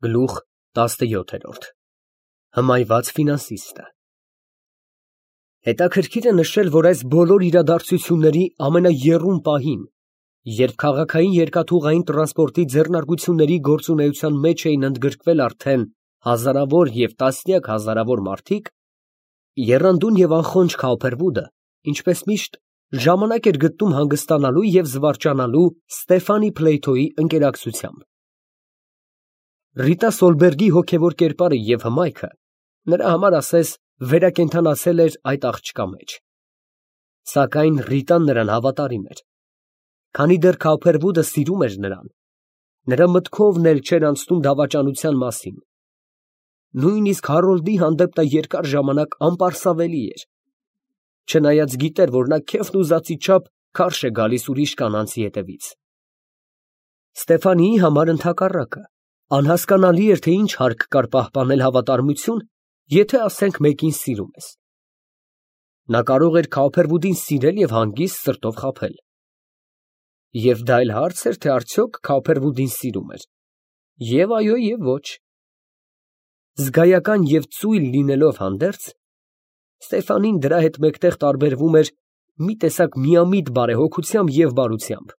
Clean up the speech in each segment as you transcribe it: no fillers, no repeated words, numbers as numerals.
Գլուխ 17 Հմայված ֆինանսիստը Հետաքրքիր է նշել, որ այս բոլոր իրադարձությունների ամենաեռուն պահին, երբ քաղաքային երկաթուղային տրանսպորտի ձեռնարկությունների գործունեության մեջ էին ընդգրկվել արդեն հազարավոր և տասնյակ հազարավոր մարդիկ, եռանդուն և անխոնջ Քավբերվուդը, ինչպես միշտ, ժամանակ էր գտնում հանգստանալու և զվարճանալու Ստեֆանի Փլեյթոյի ընկերակցությամբ։ Ռիտա Սոլբերգի հոգևոր կերպարը և հմայքը նրա համար ասես վերակենդանացել էր այդ աղջկա մեջ։ Սակայն Ռիտան նրան հավատարիմ էր։ Քանի դեռ Քավբերվուդը սիրում էր նրան, նրա մտքովն էլ չէր անցնում դավաճանության մասին։ Նույնիսկ Հարոլդի հանդեպ նա երկար ժամանակ անպարսավելի էր, չնայած գիտեր, որ նա քեֆն ուզածի չափ քարշ է գալիս ուրիշ կանանցի հետևից։ Ստեֆանիի համար ընդհակառակը, անհասկանալի էր, թե ինչ հարկ կար պահպանել հավատարմություն, եթե ասենք մեկին սիրում ես։ Նա կարող էր Քավբերվուդին սիրել և հանգիստ սրտով խաբել։ Եվ դա էլ հարց էր, թե արդյոք Քավբերվուդին սիրում էր։ Եվ այո, և ոչ։ Զգայական և ծույլ լինելով հանդերձ, Ստեֆանին դրա հետ մեկտեղ տարբերվում էր մի տեսակ միամիտ բարեհոգությամբ և բարությամբ։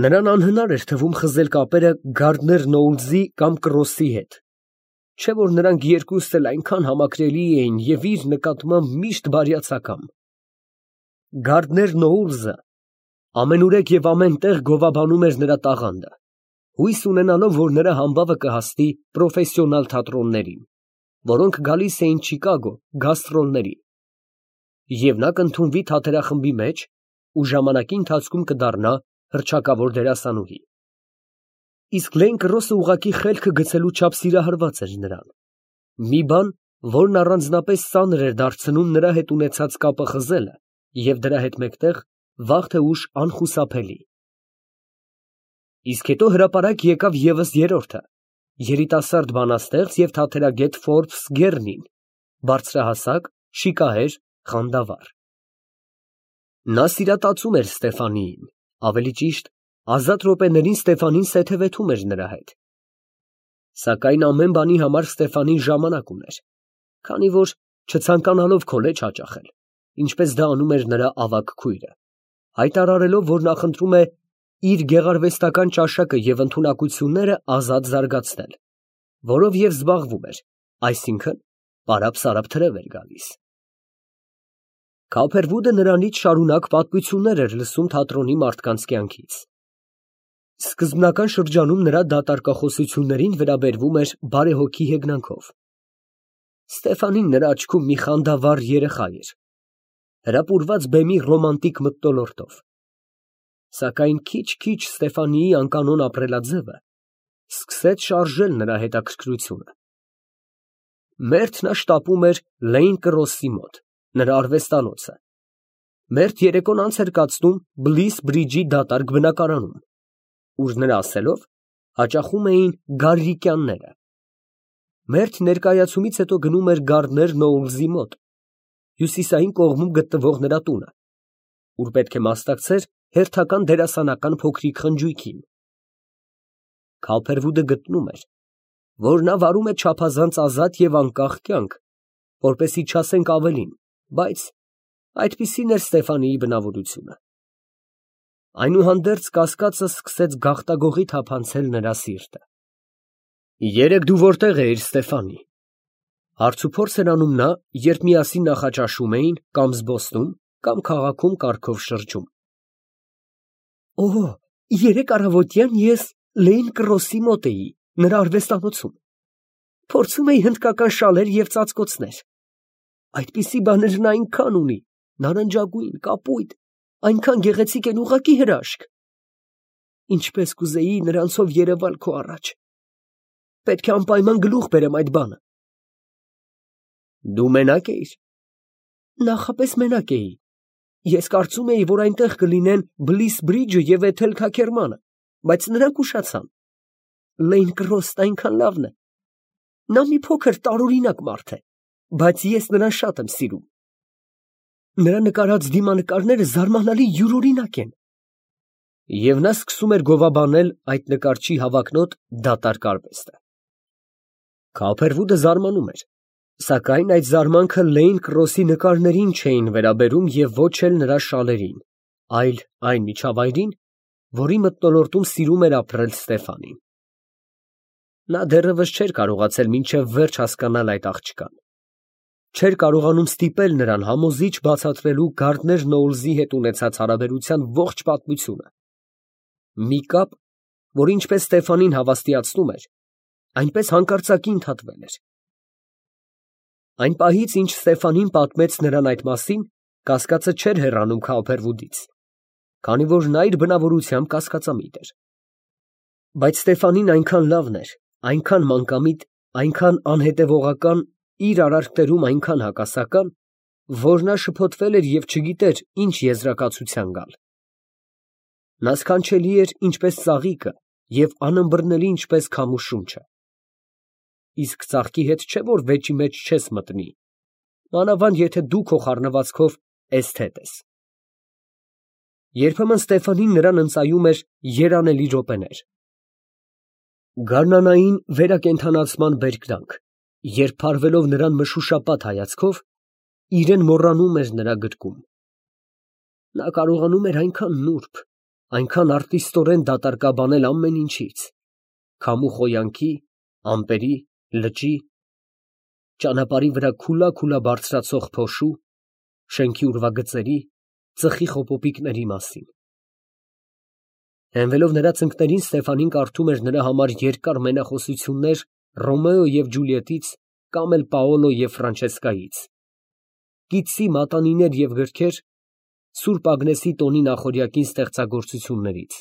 Նրան անհնար էր թվում խզել կապերը Գարդներ Նոուլզի կամ Կրոսի հետ, չէ՞ որ նրանք երկուսն էլ այնքան համակրելի էին և իր նկատմամբ միշտ բարյացակամ։ Գարդներ Նոուլզը ամենուրեք և ամենտեղ գովաբանում էր նրա տաղանդը, հույս ունենալով, որ նրա համբավը կհասնի պրոֆեսիոնալ թատրոններին, որոնք գալիս էին Չիկագո գաստրոլների, և նա կընդունվի թատերախմբի մեջ ու ժամանակի ընթացքում կդառնա հռչակավոր դերասանուհի։ Իսկ Լեն Կրոսը ուղղակի խելքը գցելու չափ սիրահարված էր նրան, մի բան, որն առանձնապես ծանր էր դարձնում նրա հետ ունեցած կապը խզելը և դրա հետ մեկտեղ վաղ թե ուշ անխուսափելի։ Իսկ հետո հրապարակ եկավ ևս երրորդը, երիտասարդ բանաստեղծ և թատերագետ Ֆորբս Գեռնին, բարձրահասակ, շիկահեր, խանդավառ։ Նա սիրատացում էր Ստեֆանիին, ավելի ճիշտ, ազատ րոպեներին Ստեֆանին սեթևեթում էր նրա հետ։ Սակայն ամեն բանի համար Ստեֆանին ժամանակ ուներ, քանի որ չցանկանալով քոլեջ հաճախել, ինչպես դա անում էր նրա ավագ քույրը, հայտարարելով, որ նախընտրում է իր գեղարվեստական ճաշակը և ընդունակությունները ազատ զարգացնել, որով և զբաղվում էր, այսինքն՝ պարապ թրև էր գալիս։ Քավբերվուդը նրանից շարունակ պատմություններ էր լսում թատրոնի մարդկանց կյանքից։ Սկզբնական շրջանում նրա դատարկախոսություններին վերաբերվում էր բարեհոգի հեգնանքով։ Ստեֆանին նրա աչքում մի խանդավառ երեխա էր, հրապուրված բեմի ռոմանտիկ մթնոլորտով։ Սակայն քիչ֊քիչ Ստեֆանիի անկանոն ապրելաձևը սկսեց շարժել նրա հետաքրքրությունը։ Մերթ նա շտապում էր Լեյն Կրոսի մոտ, նրա արվեստանոցը, մերթ երեկոն անց էր կացնում Բլիս Բրիջի դատարկ բնակարանում, ուր նրա ասելով հաճախում էին գարրիկյանները, մերթ ներկայացումից հետո գնում էր Գարդներ Նոուլզի մոտ, հյուսիսային կողմում գտնվող նրա տունը, ուր պետք է մասնակցեր հերթական դերասանական փոքրիկ խնջույքին։ Քավբերվուդը գտնում էր, որ նա վարում է չափազանց ազատ և անկախ կյանք, որպեսզի չասենք ավելին, բայց այդպիսին էր Ստեֆանիի բնավորությունը։ Այնուհանդերձ կասկածը սկսեց գաղտագողի թափանցել նրա սիրտը։ Երեկ դու որտե՞ղ էիր, Ստեֆանի, հարցուփորձ էր անում նա, երբ միասին նախաճաշում էին կամ զբոսնում, կամ քաղաքում կառքով շրջում։ Օհ, երեկ առավոտյան ես Լեյն Կրոսի մոտ էի, նրա արվեստանոցում, փորձում էի հնդկական շալեր և ծածկոցներ, այդպիսի բաներ նա այնքան ունի, նարնջագույն, կապույտ, այնքան գեղեցիկ են, ուղղակի հրաշք։ Ինչպես կուզեի նրանցով երևալ քո առաջ, պետք է անպայման գլուխ բերեմ այդ բանը։ Դու մենակ էիր։ Նախապես մենակ էի։ Ես կարծում էի, որ այնտեղ կլինեն Բլիս Բրիջը և Էթել Քաքերմանը, բայց նրանք ուշացան։ Լեյն Կրոսն այնքան լավն է։ Նա մի փոքր տարօրինակ մարդ է, բայց ես նրան շատ եմ սիրում։ Նրա նկարած դիմանկարները զարմանալի յուրօրինակ են։ Եվ նա սկսում էր գովաբանել այդ նկարչի հավակնոտ դատարկ արվեստը։ Քափերվուդը զարմանում էր, սակայն այդ զարմանքը Լեյն Կրոսի նկարներին չէին վերաբերում և ոչ էլ նրա շալերին, այլ այն միջավայրին, որի մթնոլորտում սիրում էր ապրել Ստեֆանին։ Նա դեռևս չէր կարողացել մինչև վերջ հասկանալ այդ աղջկան, չէր կարողանում ստիպել նրան համոզիչ բացատրելու Գարդներ Նոուլզի հետ ունեցած հարաբերության ողջ պատմությունը, մի կապ, որ ինչպես Ստեֆանին հավաստիացնում էր, այնպես հանկարծակի ընդհատվել էր։ Այն պահից, ինչ Ստեֆանին պատմեց նրան այդ մասին, կասկածը չէր հեռանում Քափերվուդից, քանի որ նա իր բնավորությամբ կասկածամիտ էր։ Բայց Ստեֆանին այնքան լավն էր, այնքան մանկամիտ, այնքան անհետևողական, իր արարքներում այնքան հակասական, որ նա շփոթվել էր և չգիտեր ինչ եզրակացության գալ։ Նա սքանչելի էր ինչպես ծաղիկը և անըմբռնելի ինչպես քամու շունչը։ Իսկ ծաղկի հետ չէ, որ վեճի մեջ չես մտնի, մանավանդ եթե դու քո խառնվածքով էսթետ ես։ Երբեմն Ստեֆանին նրան ընծայում էր երանելի րոպեներ, գարնանային վերակենդանացման բերկրանք, երբ փարվելով նրան մշուշապատ հայացքով, իրեն մոռանում էր նրա գրկում։ Նա կարողանում էր այնքան նուրբ, այնքան արտիստորեն դատարկաբանել ամեն ինչից, քամու խոյանքի, ամպերի, լճի, ճանապարհի վրա քուլա բարձրացող փոշու, շենքի ուրվագծերի, ծխի խոպոպիկների մասին։ Հենվելով նրա ծնկներին, Ստեֆանին կարդում էր նրա համար երկար մենախոսություններ Ռոմեո և Ջուլիետից կամ էլ Պաոլո և Ֆրանչեսկայից, կիտսի մատանիներ և գրքեր Սուրբ Ագնեսի տոնի նախօրյակին ստեղծագործություններից։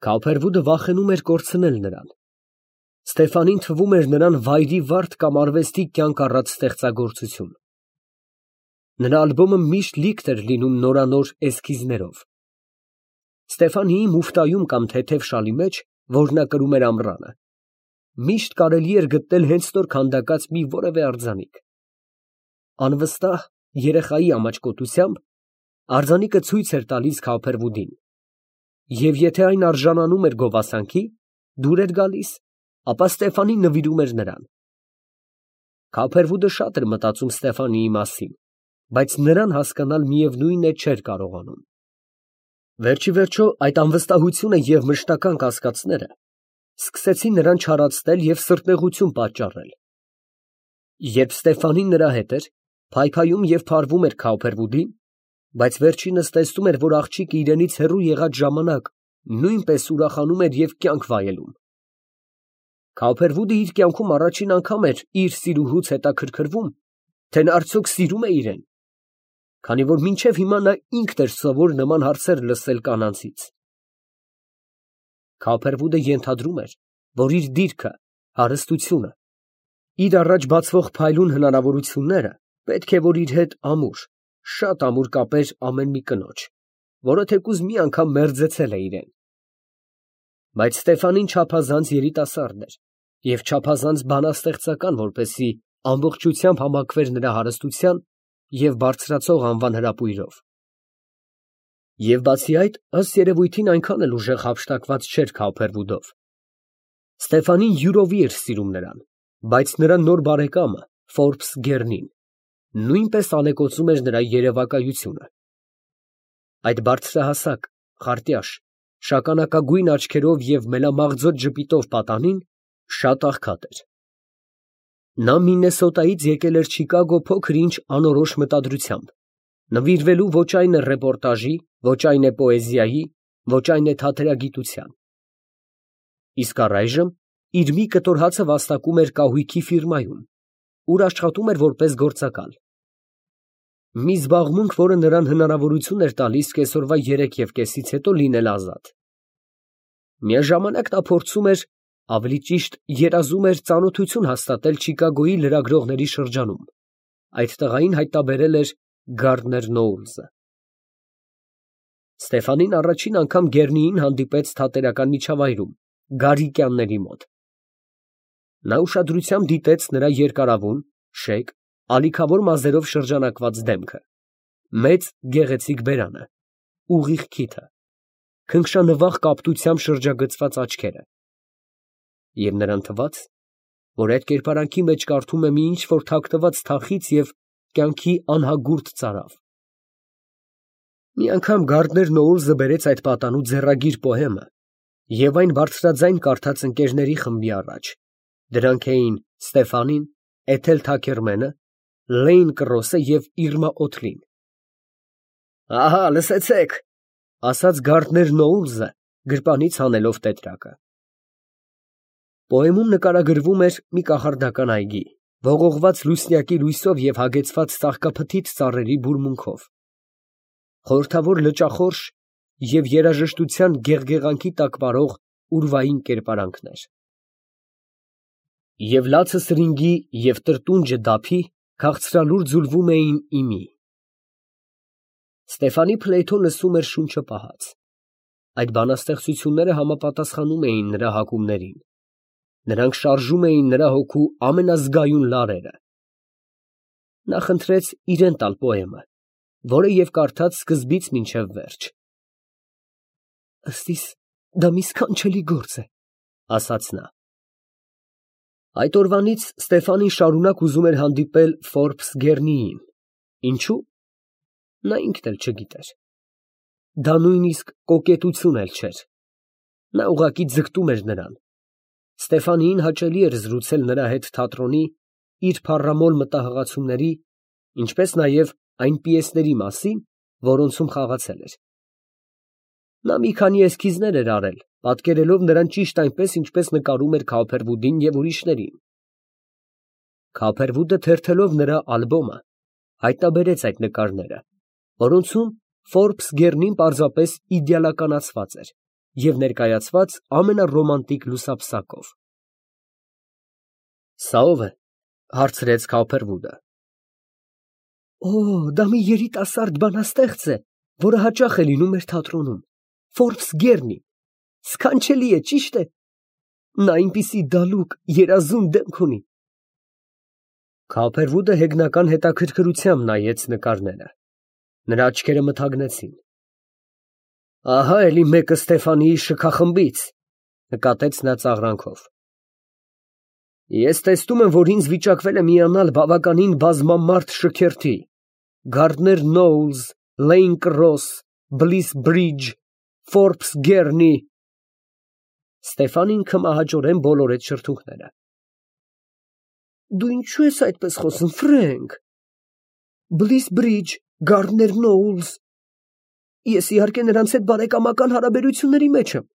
Քափերվուդը վախենում էր կորցնել նրան։ Ստեֆանին թվում էր նրան վայրի վարդ կամ արվեստի կյանք առած ստեղծագործություն։ Նրա ալբոմը միշտ լիքն էր լինում նորանոր էսքիզներով։ Ստեֆանիի մուֆտայում կամ թեթև շալի մեջ, որ նա կրում էր ամռանը, միշտ կարելի էր գտնել հենց նոր քանդակած մի որևէ արձանիկ։ Անվստահ երեխայի ամաչկոտությամբ արձանիկը ցույց էր տալիս Քափերվուդին, և եթե այն արժանանում էր գովասանքի, դուր էր գալիս, ապա Ստեֆանին նվիրում էր նրան։ Քափերվուդը շատ էր մտածում Ստեֆանիի մասին, բայց նրան հասկանալ միևնույն է չէր կարողանում։ Վերջիվերջո այդ անվստահությունը և մշտական կասկածները սկսեցին նրան չարացնել և սրտնեղություն պատճառել։ Երբ Ստեֆանին նրա հետ էր, փայփայում և փարվում էր Քափերվուդին, բայց վերջինս տեսնում էր, որ աղջիկը իրենից հեռու եղած ժամանակ նույնպես ուրախանում էր և կյանք վայելում։ Քափերվուդը իր կյանքում առաջին անգամ էր իր սիրուհուց հետաքրքրվում, թե նա արդյոք սիրում է իրեն, քանի որ մինչև հիմա նա ինքն էր սովոր նման հարցեր լսել կանանցից։ Քափերվուդը ենթադրում էր, որ իր դիրքը, հարստությունը, իր առաջ բացվող փայլուն հնարավորությունները պետք է որ իր հետ ամուր, շատ ամուր կապեր ամեն մի կնոջ, որը թեկուզ մի անգամ մերձեցել է իրեն։ Բայց Ստեֆանին չափազանց երիտասարդ էր և չափազանց բանաստեղծական, որպեսզի ամբողջությամբ համակվեր նրա հարստության և բարձրացող անվան հրապույրով։ Եվ բացի այդ, ըստ երևույթին այնքան էլ ուժեղ հափշտակված չէր Քափերվուդով։ Ստեֆանին յուրովի էր սիրում նրան, բայց նրա նոր բարեկամը Ֆորբս Գեռնին նույնպես ալեկոծում էր նրա երևակայությունը։ Այդ բարձրահասակ, խարտյաշ, շագանակագույն աչքերով և մելամաղձոտ ժպիտով պատանին շատ աղքատ էր։ Նա Միննեսոտայից եկել էր Չիկագո փոքր֊ինչ անորոշ մտադրությամբ, նվիրվելու ոչ այն է ռեպորտաժի, ոչ այն է պոեզիայի, ոչ այն է թատերագիտության։ Իսկ առայժմ իր մի կտոր հացը վաստակում էր կահույքի ֆիրմայում, ուր աշխատում էր որպես գործակալ։ Մի զբաղմունք, որը նրան հնարավորություն էր տալիս կեսօրվա 3:30-ից հետո լինել ազատ։ Միաժամանակ նա փորձում էր, ավելի ճիշտ երազում էր ծանոթություն հաստատել Չիկագոյի լրագրողների շրջանում, այդ տղային հայտնաբերել էր Գարդներ Նոուլզը։ Ստեֆանին առաջին անգամ Գեռնիին հանդիպեց թատերական միջավայրում, Գարիկյանների մոտ։ Նա ուշադրությամբ դիտեց նրա երկարավուն, շեկ, ալիքավոր մազերով շրջանակված դեմքը, մեծ գեղեցիկ բերանը, ուղիղ քիթը, քնքշանվախ կապտությամբ շրջագծված աչքերը, և նրան թվաց, որ այդ կերպարանքի մեջ կարդում է մի ինչ-որ թաքնված թախից և կյանքի անհագուրդ ծարավ։ Մի անգամ Գարդներ Նոուլզը բերեց այդ պատանու ձեռագիր պոեմը և այն բարձրաձայն կարդաց ընկերների խմբի առաջ. դրանք էին Ստեֆանին, Էթել Թաքերմենը, Լեյն Կրոսը և Իրմա Օթլին։ «Ահա, լսեցեք», ֊ ասաց Գարդներ Նոուլզը, գրպանից հանելով տետրակը։ Պոեմում նկարագրվում էր մի կախարդական այգի, ողողված լուսնյակի լույսով և հագեցված ծաղկափթիթ ծառերի բուրմունքով, խորհրդավոր լճախորշ և երաժշտության գեղգեղանքի տակ պարող ուրվային կերպարանքներ։ Եվ լացը սրինգի և տրտունջը դափի քաղցրալուր ձուլվում էին իմի։ Ստեֆանի Փլեյթոն լսում էր շունչը պահած։ Այդ բանաստեղծությունները համապատասխանում էին նրա հակումներին։ Նրանք շարժում էին նրա հոգու ամենազգայուն լարերը։ Նա խնդրեց իրան տալ պոեմը, որը և կարդաց սկզբից մինչև վերջ։ «Ըստ իս դա մի սքանչելի գործ է», ֊ ասաց նա։ Այդ օրվանից Ստեֆանին շարունակ ուզում էր հանդիպել Ֆորբս Գեռնիին։ Ինչո՞ւ։ Նա ինքն էլ չգիտեր։ Դա նույնիսկ կոկետություն էլ չէր։ Նա ուղղակի ձգտում էր նրան։ Ստեֆանիին հաճելի էր զրուցել նրա հետ թատրոնի, իր փառամոլ մտահղացումների, ինչպես նաև այն պիեսների մասին, որոնցում խաղացել էր։ Նա մի քանի էսքիզներ էր արել, պատկերելով նրան ճիշտ այնպես, ինչպես նկարում էր Քոփերվուդին և ուրիշներին։ Քոփերվուդը թերթելով նրա ալբոմը, հայտնաբերեց այդ նկարները, որոնցում Ֆորբս Գեռնին պարզապես իդեալականացված էր և ներկայացված ամենառոմանտիկ լուսապսակով։ «Սա ո՞վ է», ֊ հարցրեց Քոփերվուդը։ «Օ, դա մի երիտասարդ բանաստեղծ է, որը հաճախ է լինում մեր թատրոնում, Ֆորբս Գեռնի, սքանչելի է, ճիշտ է։ Նա այնպիսի դալուկ, երազուն դեմք ունի»։ Քոփերվուդը հեգնական հետաքրքրությամբ նայեց նկարները։ Նրա աչքերը մթագնեցին։ «Ահա էլի մեկը Ստեֆանիի շքախմբից», ֊ նկատեց նա ծաղրանքով։ «Ես տեսնում եմ, որ ինձ վիճակվել է միանալ բավականին բազմամարդ շքերթի. Գարդներ Նոուլզ, Լեյն Կրոս, Բլիս Բրիջ, Ֆորբս Գեռնի։ Ստեֆանին քմահաճորեն բոլորեց շրթունքները։ Դու ինչու ես այդպես խոսում, Ֆրենկ։ Բլիս Բրիջ, Գարդներ Նոուլզ։ Ես իհարկե նրանց հետ բարեկամական հարաբերությունների մեջ եմ։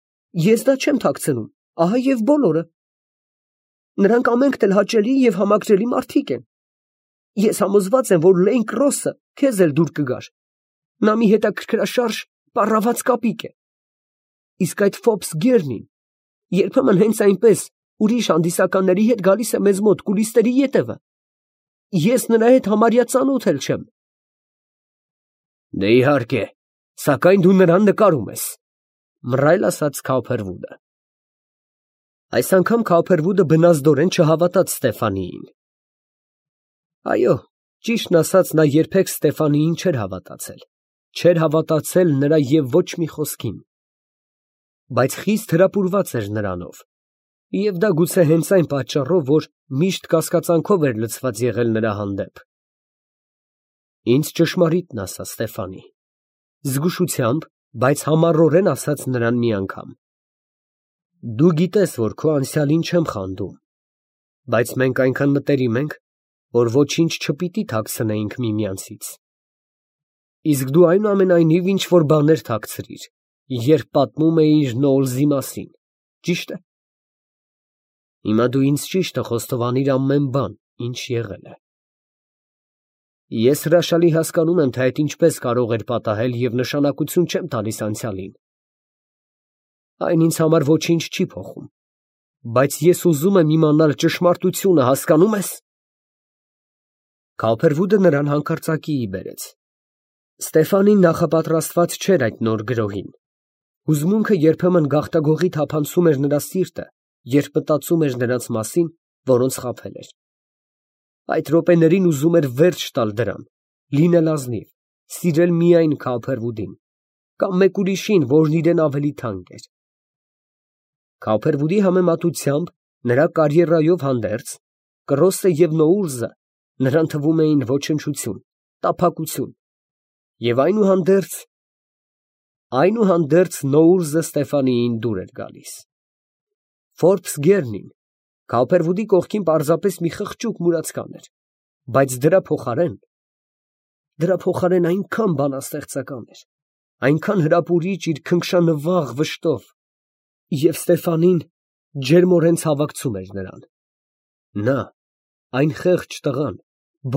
Ես դա չեմ թաքցնում, ահա և բոլորը։ Նրանք ամենքն էլ հաճելի և համակրելի մարդիկ են։ Ես համոզված եմ, որ Լեյն Կրոսը քեզ էլ դուր կգար։ Նա մի հետաքրքրաշարժ, պառաված կապիկ է։ Իսկ այդ Ֆորբս Գեռնին երբեմն հենց այնպես ուրիշ հանդիսականների հետ գալիս է մեզ մոտ կուլիսների ետևը։ Ես նրա հետ համարյա ծանոթ էլ չեմ։ Դե իհարկե, սակայն դու նրան նկարում ես, ֊ մռայլ ասաց Քոփերվուդը։ Այս անգամ Քոփերվուդը բնազդորեն չհավատաց Ստեֆանիին։ Այո, ճիշտն ասած, նա երբեք Ստեֆանիին չէր հավատացել, չէր հավատացել նրա և ոչ մի խոսքին։ Բայց խիստ հրապուրված էր նրանով, և դա գուցե հենց այն պատճառով, որ միշտ կասկածանքով էր լցված եղել նրա հանդեպ։ Ինձ ճշմարիտն ասա, Ստեֆանի, զգուշությամբ, բայց համառորեն ասաց նրան մի անգամ։ Դու գիտես, որ քո անցյալին չեմ խանդում, բայց մենք այնքան մտերիմ ենք, որ ոչինչ չպիտի թաքցնեինք միմյանցից։ Իսկ դու այնուամենայնիվ ինչ֊որ բաներ թաքցրիր, երբ պատմում էիր Նոուլզի մասին, ճի՞շտ է։ Հիմա դու ինձ ճիշտը խոստովանիր ամեն բան, ինչ եղել է։ Ես հրաշալի հասկանում եմ, թե այդ ինչպես կարող էր պատահել և նշանակություն չեմ տալիս անցյալին։ Այն ինձ համար ոչինչ չի փոխում, բայց ես ուզում եմ իմանալ ճշմարտությունը, հասկանո՞ւմ ես։ Քոփերվուդը նրան հանկարծակիի բերեց։ Ստեֆանին նախապատրաստված չէր այդ նոր գրոհին։ Հուզմունքը երբեմն գաղտագողի թափանցում էր նրա սիրտը, երբ մտածում էր նրանց մասին, որոնց խաբել էր։ Այդ րոպեներին ուզում էր վերջ տալ դրան, լինել ազնիվ, սիրել միայն Քոփերվուդին, կամ մեկ ուրիշին, որն իրեն ավելի թանկ էր։ Քոփերվուդի համեմատությամբ նրա կարիերայով հանդերձ, Կրոսը և Նոուռզը նրան թվում էին ոչնչություն, տափակություն, և այնուհանդերձ Նոուռզը Ստեֆանիին դուր էր գալիս։ Ֆորբս գերնին Քոուփերվուդի կողքին պարզապես մի խղճուկ մուրացկան էր, բայց դրա փոխարեն այնքան բանաստեղծական էր, այնքան հրապուրիչ իր քնքշանվաղ վշտով, և Ստեֆանին ջերմորեն ցավակցում էր նրան։ Նա, այն խեղճ տղան,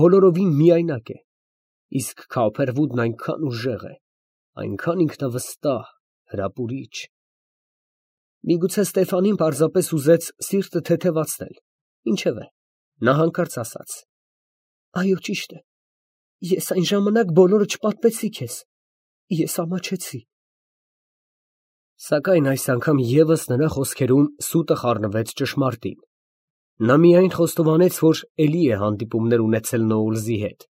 բոլորովին միայնակ է, իսկ Քոուփերվուդն այնքան ուժեղ է, այնքան ինքնավստահ, հրապուրիչ։ Միգուցե Ստեֆանին պարզապես ուզեց սիրտը թեթևացնել, ինչևէ, նա հանկարծ ասաց. «Այո, ճիշտ է, ես այն ժամանակ բոլորը չպատմեցի քեզ, ես ամաչեցի»։ Սակայն այս անգամ ևս նրա խոսքերում սուտը խառնվեց ճշմարտին։ Նա միայն խոստովանեց, որ էլի է հանդիպումներ ունեցել Նոուռզի հետ։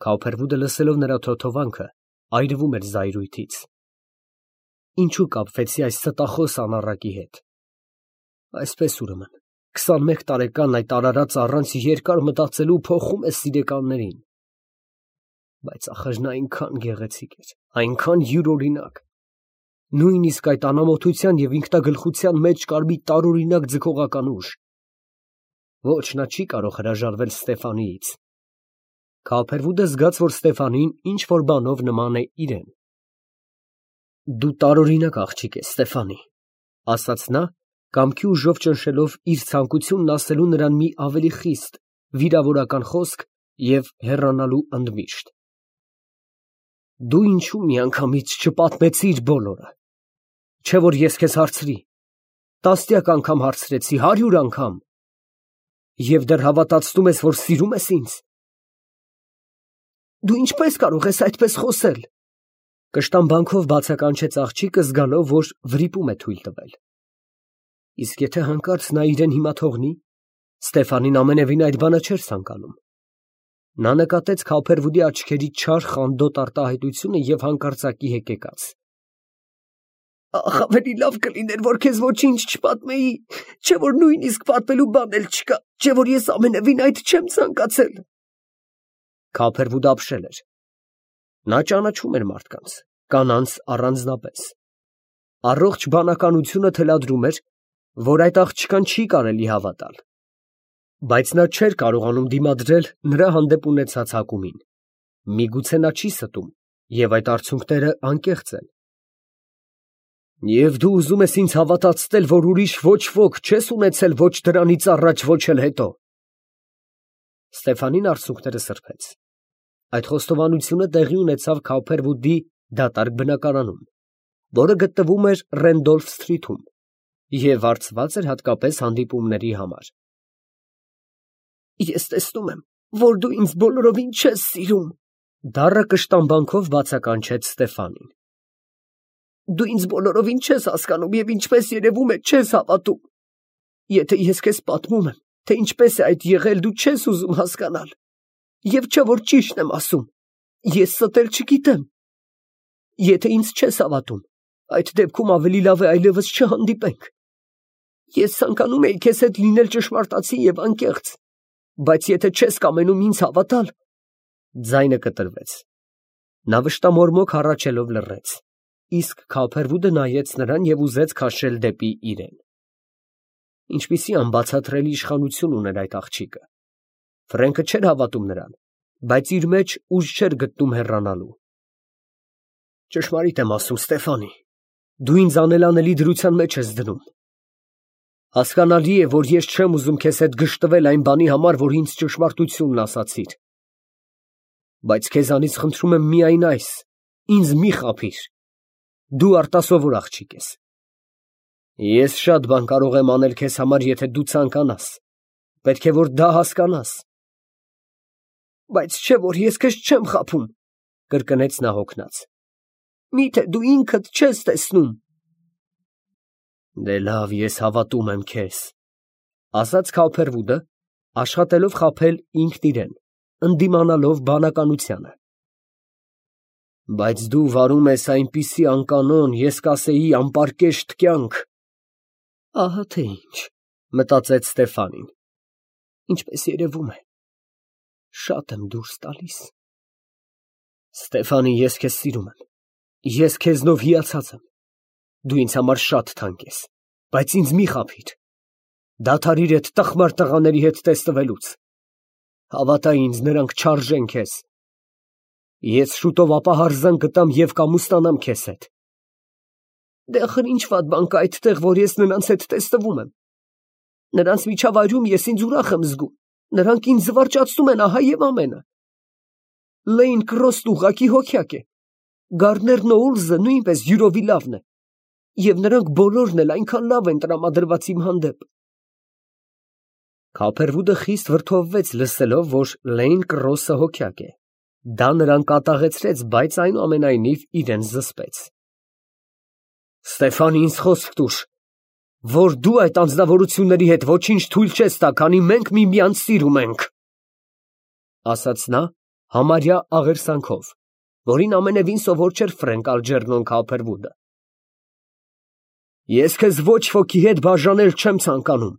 Քոուփերվուդը լսելով նրա թոթովանքը, այրվում էր զայրույթից։ Ինչու կապվեցի այս ստախոս անառակի հետ։ Այսպես ուրեմն, 21 տարեկան այդ արարած առանց երկար մտածելու փոխում է սիրեկաններին։ Բայց ախր նա այնքան գեղեցիկ էր, այնքան յուրօրինակ։ Նույնիսկ այդ անամոթության և ինքնագլխության մեջ կար մի տարօրինակ ձգողական ուժ։ Ոչ, նա չի կարող հրաժարվել Ստեֆանիից։ Քոուփերվուդը զգաց, որ Ստեֆանին ինչ֊որ բանով նման է իրեն։ Դու տարօրինակ աղջիկ ես, Ստեֆանի, ֊ ասաց նա, կամքի ուժով ճնշելով իր ցանկությունն ասելու նրան մի ավելի խիստ, վիրավորական խոսք և հեռանալու ընդմիշտ։ Դու ինչո՞ւ միանգամից չպատմեցիր բոլորը, չէ՞ որ ես քեզ հարցրի, տասնյակ անգամ հարցրեցի, 100 անգամ, և դեռ հավատացնում ես, որ սիրում ես ինձ։ Դու ինչպես կարող ես այդպես խոսել, ֊ կշտամբանքով բացականչեց աղջիկը, զգալով, որ վրիպում է թույլ տվել։ Իսկ եթե հանկարծ նա իրեն հիմա թողնի, Ստեֆանին ամենևին այդ բանը չէր ցանկանում։ Նա նկատեց Քոուփերվուդի աչքերի չար խանդոտ արտահայտությունը և հանկարծակի հեկեկաց։ Ախ, ավելի լավ կլիներ, որ քեզ ոչինչ չպատմեի, չէ՞ որ նույնիսկ պատմելու բան էլ չկա, չէ՞ որ ես ամենևին այդ չեմ ցանկացել։ Քոուփերվուդը ապշել էր։ Նա ճանաչում էր մարդկանց, կանանց առանձնապես։ Առողջ բանականությունը թելադրում էր, որ այդ աղջկան չի կարելի հավատալ։ Բայց նա չէր կարողանում դիմադրել նրա հանդեպ ունեցած հակումին։ Միգուցե նա չի ստում, և այդ արցունքները անկեղծ են։ Եվ դու ուզում ես ինձ հավատացնել, որ ուրիշ ոչ ոք չես ունեցել ոչ դրանից առաջ, ոչ էլ հետո։ Ստեֆանին արցունքները սրբեց։ Այդ խոստովանությունը տեղի ունեցավ Քոուփերվուդի դատարկ բնակարանում, որը գտնվում էր Ռենդոլֆ Սթրիթում և վարձված էր հատկապես հանդիպումների համար։ Ես տեսնում եմ, որ դու ինձ բոլորովին չես սիրում, ֊ դառը կշտամբանքով բացականչեց Ստեֆանին։ Դու ինձ բոլորովին չես հասկանում և ինչպես երևում է, չես հավատում։ Եթե ես քեզ պատմում եմ, թե ինչպես է այդ եղել, դու չես ուզում հասկանալ։ Եվ չէ՞ որ ճիշտն եմ ասում, ես ստել չգիտեմ։ Եթե ինձ չես հավատում, այդ դեպքում ավելի լավ է այլևս չհանդիպենք։ Ես ցանկանում էի քեզ հետ լինել ճշմարտացի և անկեղծ, բայց եթե չես կամենում ինձ հավատալ… Ձայնը կտրվեց։ Նա վշտամորմոք հառաչելով լռեց, իսկ Քոուփերվուդը նայեց նրան և ուզեց քաշել դեպի իրեն։ Ինչպիսի անբացատրելի իշխանություն ուներ այդ աղջիկը։ Ֆրենկը չէր հավատում նրան, բայց իր մեջ ուժ չէր գտնում հեռանալու։ Ճշմարիտ եմ ասում, Ստեֆանի, դու ինձ անելանելի դրության մեջ ես դնում։ Հասկանալի է, որ ես չեմ ուզում քեզ հետ գժտվել այն բանի համար, որ ինձ ճշմարտությունն ասացիր։ Բայց քեզանից խնդրում եմ միայն այս. ինձ մի խաբիր։ Դու արտասովոր աղջիկ ես։ Ես շատ բան կարող եմ անել քեզ համար, եթե դու ցանկանաս։ Պետք է որ դա հասկանաս։ Բայց չէ՞ որ ես քեզ չեմ խաբում, ֊ կրկնեց նա հոգնած։ Միթե դու ինքդ չես տեսնում։ Դե լավ, ես հավատում եմ քեզ, ֊ ասաց Քոուփերվուդը, աշխատելով խաբել ինքն իրեն, ընդդիմանալով բանականությանը։ Բայց դու վարում ես այնպիսի անկանոն, ես կասեի անպարկեշտ կյանք։ Ահա թե ինչ։ Մտածեց Ստեֆանին։ Ինչպես երևում է, շատ եմ դուրս տալիս։ Ստեֆանի, ես քեզ սիրում եմ։ Ես քեզնով հիացած եմ։ Դու ինձ համար շատ թանկ ես, բայց ինձ մի խաբիր։ Դադարիր այդ տխմար տղաների հետ տեսնվելուց։ Հավատա ինձ, նրանք չարժեն քեզ։ Ես շուտով ապահարզան կտամ և կամուստանամ քեզ հետ։ Դե ախր ինչ վատ բան կա այդտեղ, որ ես նրանց հետ տեսնվում եմ։ Նրանց միջավայրում ես ինձ ուրախ եմ զգում։ Նրանք ինձ զվարճացնում են ահա և ամենը։ Լեյն Կրոսն ուղղակի հոգյակ է։ Գարներ Նոուլզը նույնպես յուրովի լավն է։ Եվ նրանք բոլորն էլ այնքան լավ են տրամադրված իմ հանդեպ։ Քոփերվուդը խիստ վրդովվեց լսելով, որ Լեյն Կրոսը հոգյակ է։ Դա նրան կատաղեցրեց, բայց այնուամենայնիվ իրեն զսպեց։ Ստեֆան, ինձ խոսք տուր, որ դու այդ անձնավորությունների հետ ոչինչ թույլ չես տա, քանի մենք միմյանց սիրում ենք, ասաց նա համարյա աղերսանքով, որին ամենևին սովոր չէր Ֆրենկ Ալջերնոն Քոփերվուդը։ Ես քեզ ոչ ոքի հետ բաժանել չեմ ցանկանում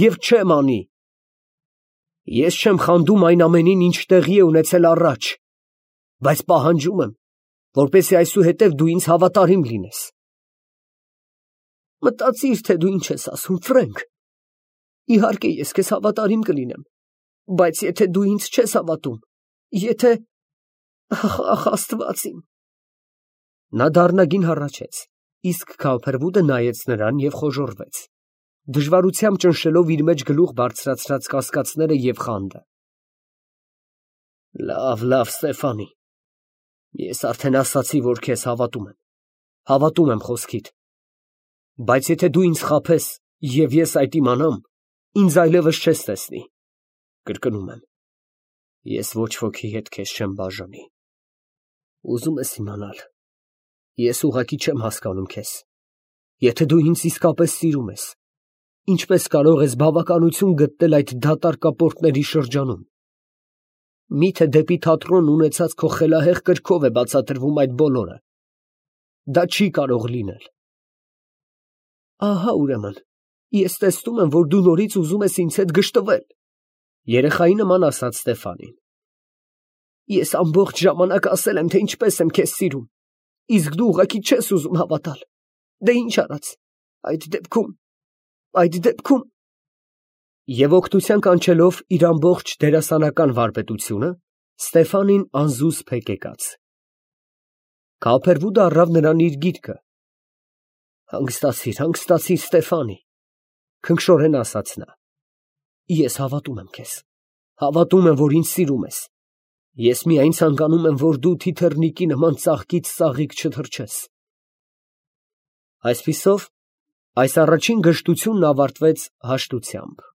և չեմ անի։ Ես չեմ խանդում այն ամենին, ինչ տեղի է ունեցել առաջ, բայց պահանջում եմ, որպեսզի այսուհետև դու ինձ հավատարիմ լինես։ Մտածիր, թե դու ինչ ես ասում, Ֆրենկ։ Իհարկե, ես քեզ հավատարիմ կլինեմ, բայց եթե դու ինձ չես հավատում, եթե… Ախ, Աստված իմ… Նա դառնագին հառաչեց, իսկ Քոփերվուդը նայեց նրան և խոժոռվեց, դժվարությամբ ճնշելով իր մեջ գլուխ բարձրացրած կասկածները և խանդը։ Լավ, Ստեֆանի, ես արդեն ասացի, որ քեզ հավատում եմ, հավատում եմ խոսքիդ, բայց եթե դու ինձ խաբես և ես այդ իմանամ, ինձ այլևս չես տեսնի, կրկնում եմ, ես ոչ ոքի հետ քեզ չեմ բաժանի։ Ուզում ես իմանալ, ես ուղղակի չեմ հասկանում քեզ, եթե դու ինձ իսկապես սիրում ես, ինչպես կարող ես բավականություն գտնել այդ դատարկապորտների շրջանում։ Միթե դեպի թատրոն ունեցած քո խելահեղ կրքով է բացատրվում այդ բոլորը։ Դա չի կարող լինել։ Ահա ուրեմն, ես տեսնում եմ, որ դու նորից ուզում ես ինձ հետ գժտվել, երեխայի նման ասաց Ստեֆանին։ Ես ամբողջ ժամանակ ասել եմ, թե ինչպես եմ քեզ սիրում, իսկ դու ուղղակի չես ուզում հավատալ։ Դե ինչ արած, այդ դեպքում… Եվ օգնության կանչելով իր ամբողջ դերասանական վարպետությունը, Ստեֆանին անզուսպ հեկեկաց։ Քոփերվուդը առավ նրան իր գիրկը։ Հանգստացիր, Ստեֆանի, քնքշորեն ասաց նա։ Ես հավատում եմ քեզ, հավատում եմ, որ ինձ սիրում ես։ Ես միայն ցանկանում եմ, որ դու թիթեռնիկի նման ծաղկից ծաղիկ չթռչես։ Այսպիսով, այս առաջին գժտությունն ավարտվեց հաշտությամբ։